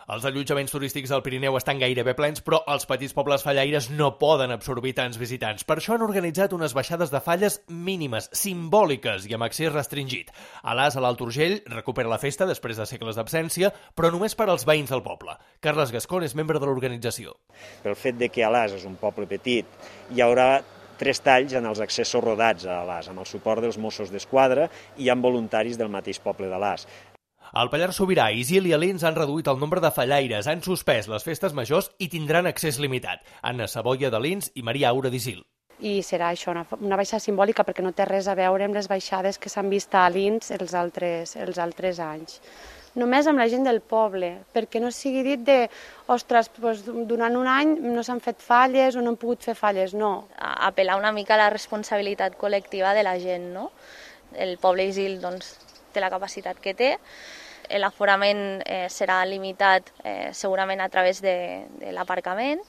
Els allotjaments turístics del Pirineu estan gairebé plens, però els petits pobles fallaires no poden absorbir tants visitants. Per això han organitzat unes baixades de falles mínimes, simbòliques i amb accés restringit. Alàs, a l'Alt Urgell, recupera la festa després de segles d'absència, però només per als veïns del poble. Carles Gascón és membre de l'organització. Pel fet de que Alàs és un poble petit, hi haurà 3 talls en els accessos rodats a Alàs, amb el suport dels Mossos d'Esquadra i amb voluntaris del mateix poble d'Alàs. Al Pallars Sobirà, Isil i Alins han reduït el nombre de fallaires, han suspès les festes majors i tindran accés limitat. Anna Saboia d'Alins i Maria Aura d'Isil. I serà això, una baixada simbòlica, perquè no té res a veure amb les baixades que s'han vist a Alins els altres anys. Només amb la gent del poble, perquè no sigui dit de, ostres, durant un any no s'han fet falles o no han pogut fer falles, no. Apel·lar una mica a la responsabilitat col·lectiva de la gent, no? El poble Isil doncs, té la capacitat que té, l'aforament serà limitat segurament a través de l'aparcament.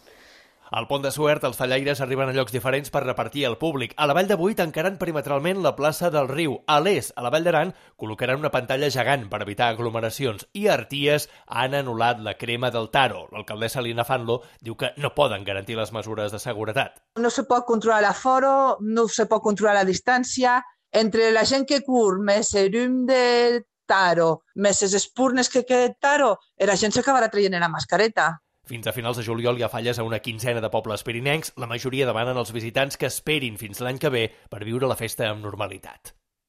Al Pont de Suert, els fallaires arriben a llocs diferents per repartir al públic. A la Vall de Boí tancaran perimetralment la plaça del Riu. A l'est, a la Vall d'Aran, col·locaran una pantalla gegant per evitar aglomeracions. I a Arties han anul·lat la crema del Taro. L'alcaldessa Lina Fanlo diu que no poden garantir les mesures de seguretat. No se pot controlar l'aforo, no se pot controlar la distància. Entre la gent que curt, més el llum de Taro, més les espurnes que queda Taro, la gent s'acabarà traient la mascareta. Fins a finals de juliol hi ha falles a una quinzena de pobles pirinencs. La majoria demanen als visitants que esperin fins l'any que ve per viure la festa amb normalitat.